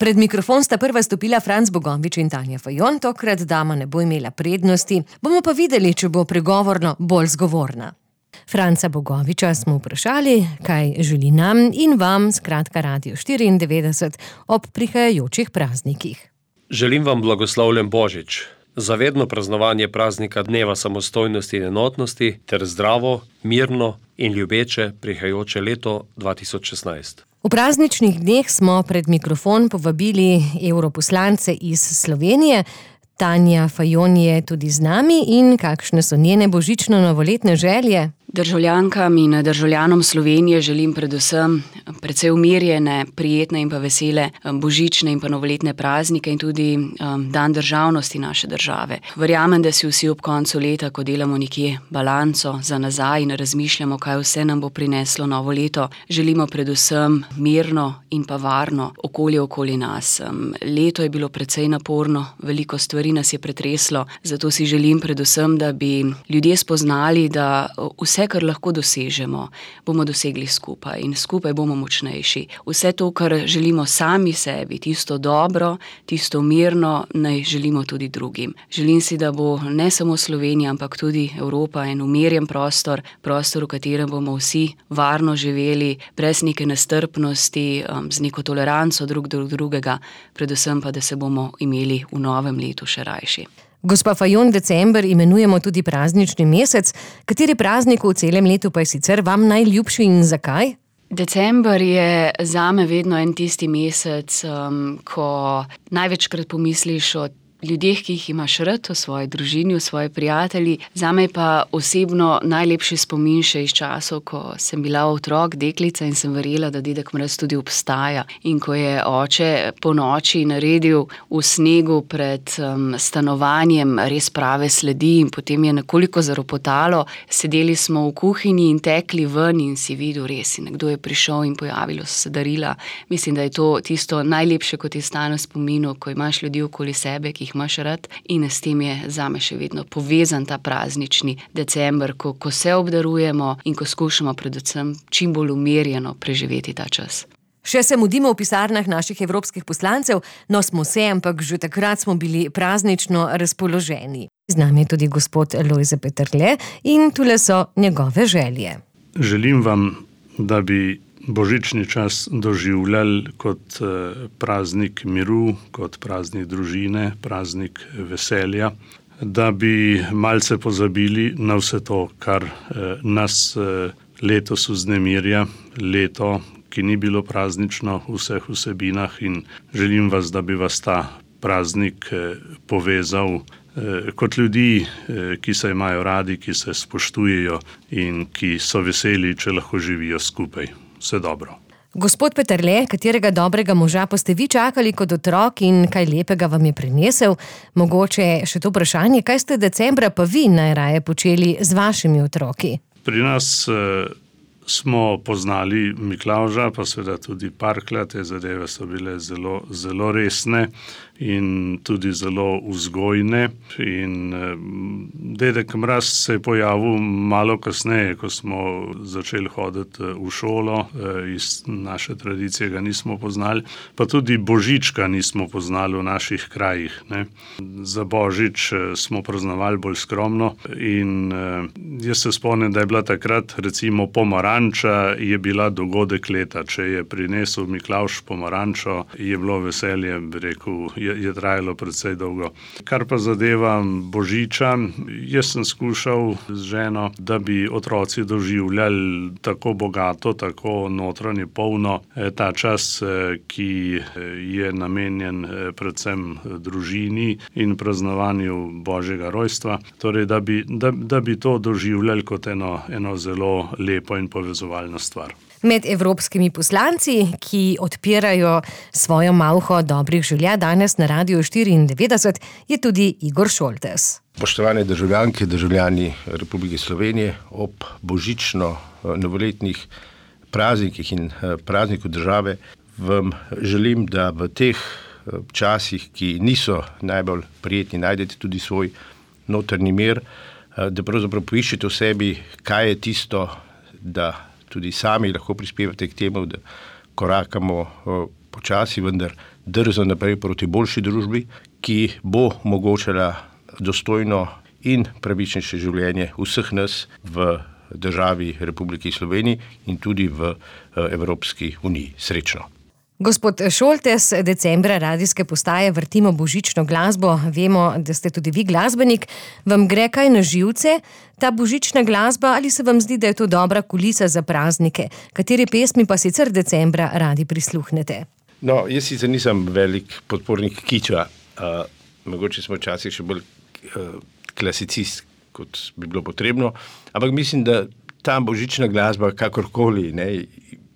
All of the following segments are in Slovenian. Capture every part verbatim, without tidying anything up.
Pred mikrofon sta prva stopila Franc Bogovič in Tanja Fajon, tokrat dama ne bo imela prednosti, bomo pa videli, če bo pregovorno bolj zgovorna. Franca Bogoviča smo vprašali, kaj želi nam in vam, skratka Radio štiriindevetdeset, ob prihajajočih praznikih. Želim vam blagoslovljen Božič, zavedno praznovanje praznika Dneva samostojnosti in enotnosti ter zdravo, mirno in ljubeče prihajajoče leto dva tisoč šestnajst. V prazničnih dneh smo pred mikrofon povabili evroposlance iz Slovenije. Tanja Fajon je tudi z nami in kakšne so njene božično-novoletne želje? Državljankam in državljanom Slovenije želim predvsem precej umirjene, prijetne in pa vesele božične in pa novoletne praznike in tudi um, dan državnosti naše države. Verjamem, da si vsi ob koncu leta, ko delamo nekje balanco za nazaj in razmišljamo, kaj vse nam bo prineslo novo leto, želimo predvsem mirno in pa varno okolje okoli nas. Um, leto je bilo precej naporno, veliko stvari nas je pretreslo, zato si želim predvsem, da bi ljudje spoznali, da vse Vse, kar lahko dosežemo, bomo dosegli skupaj in skupaj bomo močnejši. Vse to, kar želimo sami sebi, tisto dobro, tisto mirno, naj želimo tudi drugim. Želim si, da bo ne samo Slovenija, ampak tudi Evropa en umirjen prostor, prostor, v katerem bomo vsi varno živeli, brez neke nestrpnosti, z neko toleranco drug do drugega, predvsem pa, da se bomo imeli v novem letu še rajši. Gospa Fajon, december imenujemo tudi praznični mesec. Kateri praznik v celem letu pa je sicer vam najljubši in zakaj? December je zame vedno en tisti mesec, um, ko največkrat pomisliš o ljudeh, ki jih imaš rad, o svoji družini, o svoji prijatelji. Zame pa osebno najlepši spomin še iz časov, ko sem bila otrok, deklica in sem verjela, da Dedek Mraz tudi obstaja. In ko je oče po noči naredil v snegu pred um, stanovanjem res prave sledi in potem je nekoliko zaropotalo, sedeli smo v kuhinji in tekli ven in si videl res, in nekdo je prišel in pojavilo so se darila. Mislim, da je to tisto najlepše, kot je stane v spominu, ko imaš ljudi okoli sebe, ki imaš rad, in s tem je zame še vedno povezan ta praznični december, ko, ko se obdarujemo in ko skušamo predvsem čim bolj umirjeno preživeti ta čas. Še se mudimo v pisarnah naših evropskih poslancev, no smo se, ampak že takrat smo bili praznično razpoloženi. Z nami je tudi gospod Lojze Peterle in tule so njegove želje. Želim vam, da bi božični čas doživljali kot praznik miru, kot praznik družine, praznik veselja, da bi malce pozabili na vse to, kar nas letos vznemirja, leto, ki ni bilo praznično v vseh vsebinah, in želim vas, da bi vas ta praznik povezal kot ljudi, ki se imajo radi, ki se spoštujejo in ki so veseli, če lahko živijo skupaj. Vse dobro. Gospod Peterle, katerega dobrega moža pa ste vi čakali kot otrok in kaj lepega vam je prinesel? Mogoče še to vprašanje, kaj ste decembra pa vi najraje počeli z vašimi otroki? Pri nas eh, smo poznali Miklavža, pa seveda tudi Parklja. Te zadeve so bile zelo, zelo resne in tudi zelo vzgojne. In eh, Dedek Mraz se je pojavil malo kasneje, ko smo začeli hoditi v šolo. Eh, iz naše tradicije ga nismo poznali, pa tudi Božička nismo poznali v naših krajih, ne. Za Božič eh, smo praznovali bolj skromno in eh, jaz se spomnim, da je bila takrat recimo pomaranča, je bila dogodek leta. Če je prinesel Miklavž pomarančo, je bilo veselje, bi rekel, je je trajalo precej dolgo. Kar pa zadeva Božiča, jaz sem skušal z ženo, da bi otroci doživljali tako bogato, tako notranje polno ta čas, ki je namenjen predvsem družini in praznovanju Božjega rojstva. Torej, da bi, da, da bi to doživljali kot eno, eno zelo lepo in povezovalno stvar. Med evropskimi poslanci, ki odpirajo svojo malho dobrih želja danes na Radio štiriindevetdeset, je tudi Igor Šoltes. Spoštovane državljanke, državljani Republike Slovenije, ob božično-novoletnih praznikih in prazniku države vam želim, da v teh časih, ki niso najbolj prijetni, najdete tudi svoj notrni mir, da pravzaprav poiščete v sebi, kaj je tisto, da tudi sami lahko prispevate k temu, da korakamo počasi, vendar drzo naprej proti boljši družbi, ki bo omogočala dostojno in pravičnejše življenje vseh nas v državi Republiki Sloveniji in tudi v Evropski uniji. Srečno. Gospod Šoltes, decembra radijske postaje vrtimo božično glasbo. Vemo, da ste tudi vi glasbenik. Vam gre kaj na živce, ta božična glasba, ali se vam zdi, da je to dobra kulisa za praznike? Kateri pesmi pa sicer decembra radi prisluhnete? No, jaz sicer nisem velik podpornik kiča. Uh, mogoče smo včasih še bolj uh, klasicist, kot bi bilo potrebno. Ampak mislim, da ta božična glasba, kakorkoli, ne,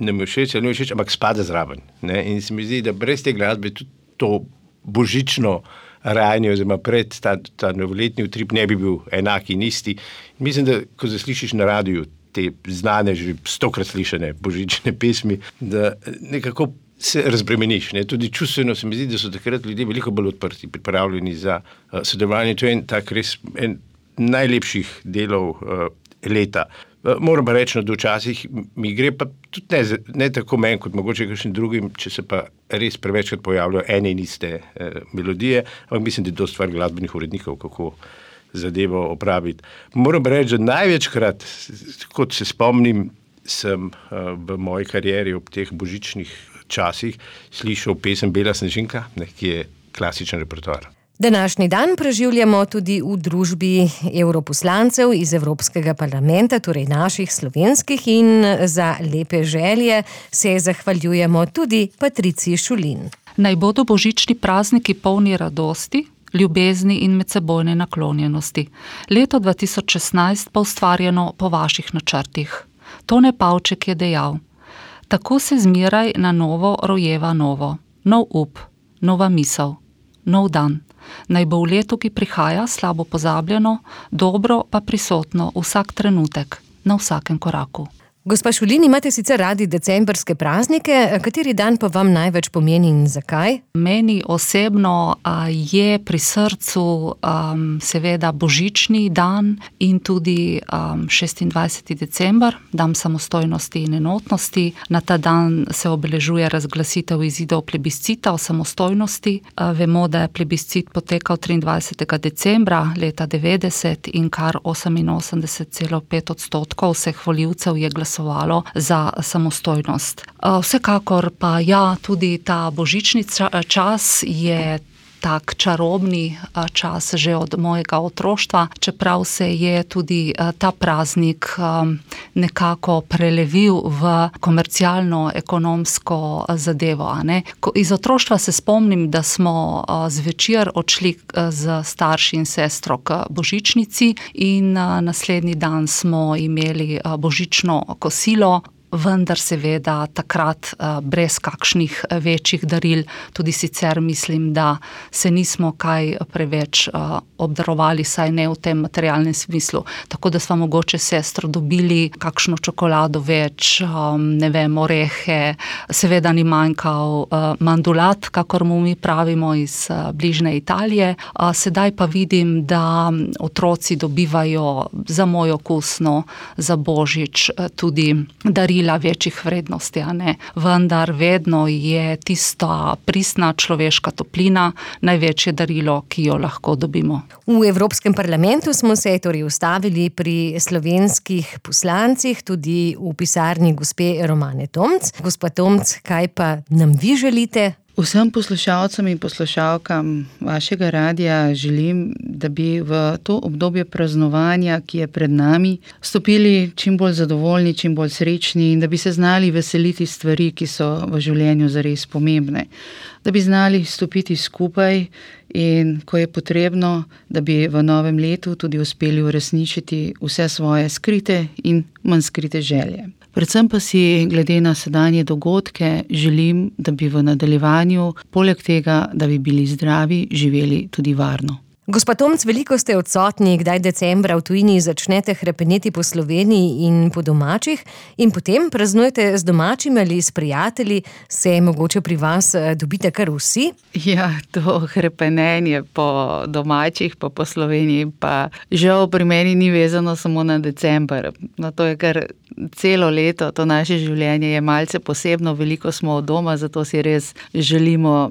ne mi všeč, ali ne mi všeč, ampak spada zraven. Ne? In se mi zdi, da brez te glasbe tudi to božično rajanje oziroma pred ta, ta novoletni utrip ne bi bil enak in isti. Mislim, da ko zaslišiš na radiju te znane, že stokrat slišane božične pesmi, da nekako se razbremeniš. Ne? Tudi čustveno se mi zdi, da so takrat ljudje veliko bolj odprti, pripravljeni za uh, sodelovanje. To je en tak res en najlepših delov uh, leta. Moram pa reči, da včasih mi gre pa tudi ne, ne tako meni, kot mogoče kakšnim drugim, če se pa res prevečkrat pojavljajo ene in iste eh, melodije, ampak mislim, da je to stvar glasbenih urednikov, kako zadevo opraviti. Moram pa reči, da največkrat, kot se spomnim, sem eh, v moji karieri ob teh božičnih časih slišal pesem Bela snežinka, ne, ki je klasičen repertoar. Današnji dan preživljamo tudi v družbi evroposlancev iz Evropskega parlamenta, torej naših slovenskih, in za lepe želje se zahvaljujemo tudi Patriciji Šulin. Naj bodo božični prazniki polni radosti, ljubezni in medsebojne naklonjenosti. Leto dva tisoč šestnajst pa ustvarjeno po vaših načrtih. Tone Pavček je dejal: tako se zmeraj na novo rojeva novo, nov up, nova misel, nov dan. Naj bo v letu, ki prihaja, slabo pozabljeno, dobro pa prisotno vsak trenutek, na vsakem koraku. Gospa Šulin, imate sicer radi decembrske praznike, kateri dan pa vam največ pomeni in zakaj? Meni osebno a, je pri srcu um, seveda božični dan in tudi um, šestindvajseti december, dan samostojnosti in enotnosti. Na ta dan se obeležuje razglasitev izidov plebiscita o samostojnosti. A, vemo, da je plebiscit potekal triindvajsetega decembra leta devetdeset in kar oseminosemdeset celih pet odstotkov vseh volivcev je glasovalo za samostojnost. Vsekakor pa ja, tudi ta božični čas je tak čarobni čas že od mojega otroštva, čeprav se je tudi ta praznik nekako prelevil v komercialno ekonomsko zadevo. A ne? Iz otroštva se spomnim, da smo zvečer odšli z starši in sestro k božičnici in naslednji dan smo imeli božično kosilo, vendar seveda takrat brez kakšnih večjih daril. Tudi sicer mislim, da se nismo kaj preveč obdarovali, saj ne v tem materialnem smislu. Tako da smo mogoče sestro dobili kakšno čokolado več, ne vem, orehe, seveda ni manjkal mandulat, kakor mu mi pravimo, iz bližnje Italije. Sedaj pa vidim, da otroci dobivajo za moj okusno, za božič tudi darila večjih vrednosti, a ne. Vendar vedno je tista pristna človeška toplina največje darilo, ki jo lahko dobimo. V Evropskem parlamentu smo se torej ustavili pri slovenskih poslancih, tudi v pisarni gospe Romane Tomc. Gospa Tomc, kaj pa nam vi želite? Vsem poslušalcem in poslušalkam vašega radija želim, da bi v to obdobje praznovanja, ki je pred nami, stopili čim bolj zadovoljni, čim bolj srečni in da bi se znali veseliti stvari, ki so v življenju zares pomembne. Da bi znali stopiti skupaj in, ko je potrebno, da bi v novem letu tudi uspeli uresničiti vse svoje skrite in manj skrite želje. Predvsem pa si, glede na sedanje dogodke, želim, da bi v nadaljevanju, poleg tega, da bi bili zdravi, živeli tudi varno. Gospa Tomc, veliko ste odsotni, kdaj decembra v tujini začnete hrepeneti po Sloveniji in po domačih in potem praznujete z domačimi ali s prijatelji, se mogoče pri vas dobite kar vsi? Ja, to hrepenenje po domačih pa po Sloveniji pa žal pri meni ni vezano samo na december. No, to je kar celo leto, to naše življenje je malce posebno, veliko smo od doma, zato si res želimo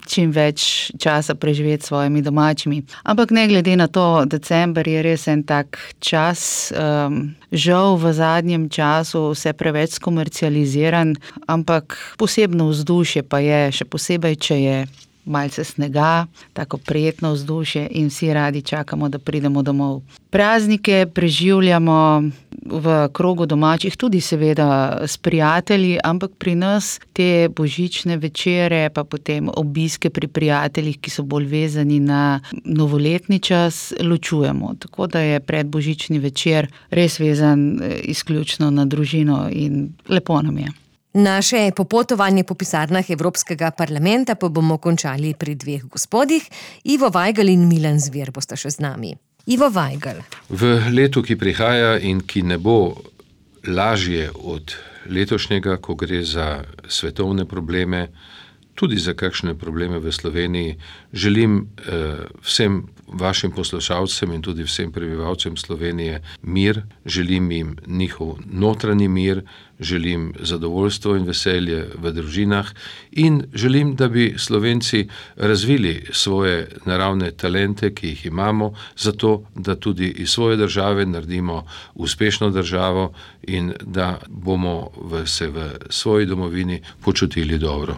čim več časa preživeti s svojimi domačimi. Ampak ne glede na to, december je res en tak čas, um, žal v zadnjem času vse preveč skomercializiran, ampak posebno vzdušje pa je, še posebej, če je malce snega, tako prijetno vzdušje in vsi radi čakamo, da pridemo domov. Praznike preživljamo v krogu domačih, tudi seveda s prijatelji, ampak pri nas te božične večere, pa potem obiske pri prijateljih, ki so bolj vezani na novoletni čas, ločujemo. Tako da je predbožični večer res vezan izključno na družino in lepo nam je. Naše popotovanje po pisarnah Evropskega parlamenta pa bomo končali pri dveh gospodih. Ivo Vajgl in Milan Zver bosta še z nami. Ivo Vajgl. V letu, ki prihaja in ki ne bo lažje od letošnjega, ko gre za svetovne probleme, tudi za kakšne probleme v Sloveniji, želim eh, vsem vašim poslušalcem in tudi vsem prebivalcem Slovenije mir, želim jim njihov notranji mir, želim zadovoljstvo in veselje v družinah in želim, da bi Slovenci razvili svoje naravne talente, ki jih imamo, zato da tudi iz svoje države naredimo uspešno državo in da bomo v, se v svoji domovini počutili dobro.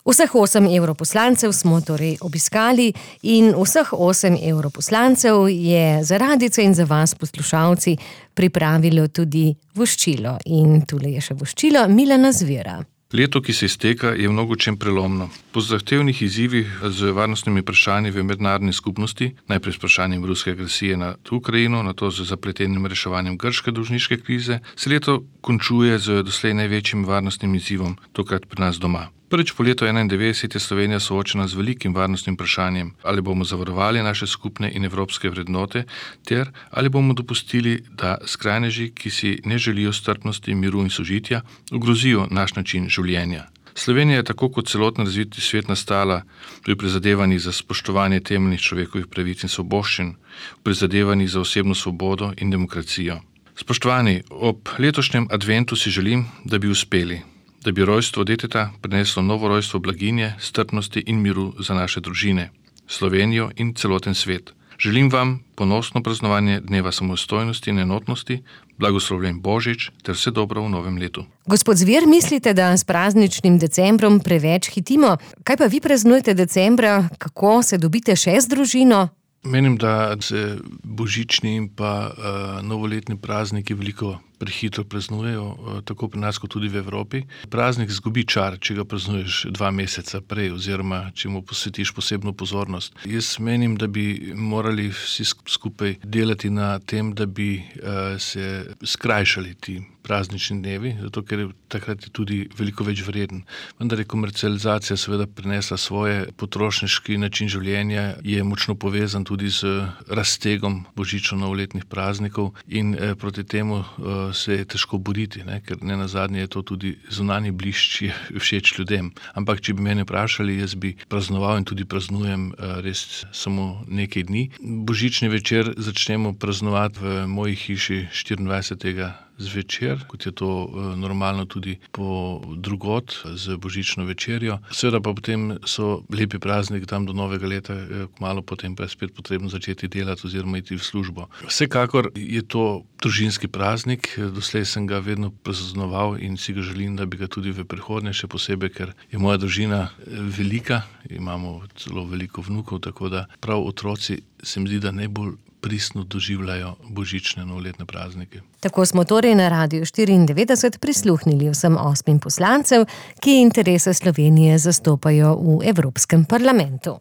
Vseh osem evroposlancev smo torej obiskali in vseh osem evroposlancev je za radijce in za vas, poslušalci, pripravilo tudi voščilo. In tule je še voščilo Milana Zvera. Leto, ki se izteka, je v mnogočem prelomno. Po zahtevnih izzivih z varnostnimi vprašanji v mednarodni skupnosti, najprej s vprašanjem ruske agresije na Ukrajino, nato z zapletenim reševanjem grške dolžniške krize, se leto končuje z doslej največjim varnostnim izzivom, tokrat pri nas doma. Prvič po letu enaindevetdeset je Slovenija soočena z velikim varnostnim vprašanjem, ali bomo zavarovali naše skupne in evropske vrednote, ter ali bomo dopustili, da skrajneži, ki si ne želijo strpnosti, miru in sožitja, ogrozijo naš način življenja. Slovenija je tako kot celotno razviti svet nastala pri prizadevanjih za spoštovanje temeljnih človekovih pravic in svoboščin, v prizadevanjih za osebno svobodo in demokracijo. Spoštovani, ob letošnjem adventu si želim, da bi uspeli, da bi rojstvo deteta prineslo novo rojstvo blaginje, strpnosti in miru za naše družine, Slovenijo in celoten svet. Želim vam ponosno praznovanje Dneva samostojnosti in enotnosti, blagoslovljen Božič ter vse dobro v novem letu. Gospod Zver, mislite, da s prazničnim decembrom preveč hitimo? Kaj pa vi praznujete decembra? Kako se dobite še z družino? Menim, da se božični in pa uh, novoletni prazniki veliko prehitro praznujejo, uh, tako pri nas kot tudi v Evropi. Praznik zgubi čar, če ga praznuješ dva meseca prej oziroma če mu posvetiš posebno pozornost. Jaz menim, da bi morali vsi skupaj delati na tem, da bi uh, se skrajšali ti praznični dnevi, zato ker je takrat tudi veliko več vreden. Vendar je komercializacija seveda prinesla svoje, potrošniški način življenja je močno povezan tudi z raztegom božično-novoletnih praznikov in eh, proti temu eh, se je težko boriti, ne? Ker ne nazadnje je to tudi zunanji blišč je všeč ljudem. Ampak če bi mene vprašali, jaz bi praznoval in tudi praznujem eh, res samo nekaj dni. Božični večer začnemo praznovati v moji hiši štiriindvajsetega zvečer, kot je to normalno tudi po drugod z božično večerjo. Seveda pa potem so lepi praznik tam do novega leta, kmalu potem pa je spet potrebno začeti delati oziroma iti v službo. Vsekakor je to družinski praznik, doslej sem ga vedno praznoval in si ga želim, da bi ga tudi v prihodnje, še posebej, ker je moja družina velika, imamo celo veliko vnukov, tako da prav otroci se mi zdi, da najbolj pristno doživljajo božične novoletne praznike. Tako smo torej na Radiu štiriindevetdeset prisluhnili vsem osmim poslancev, ki interese Slovenije zastopajo v Evropskem parlamentu.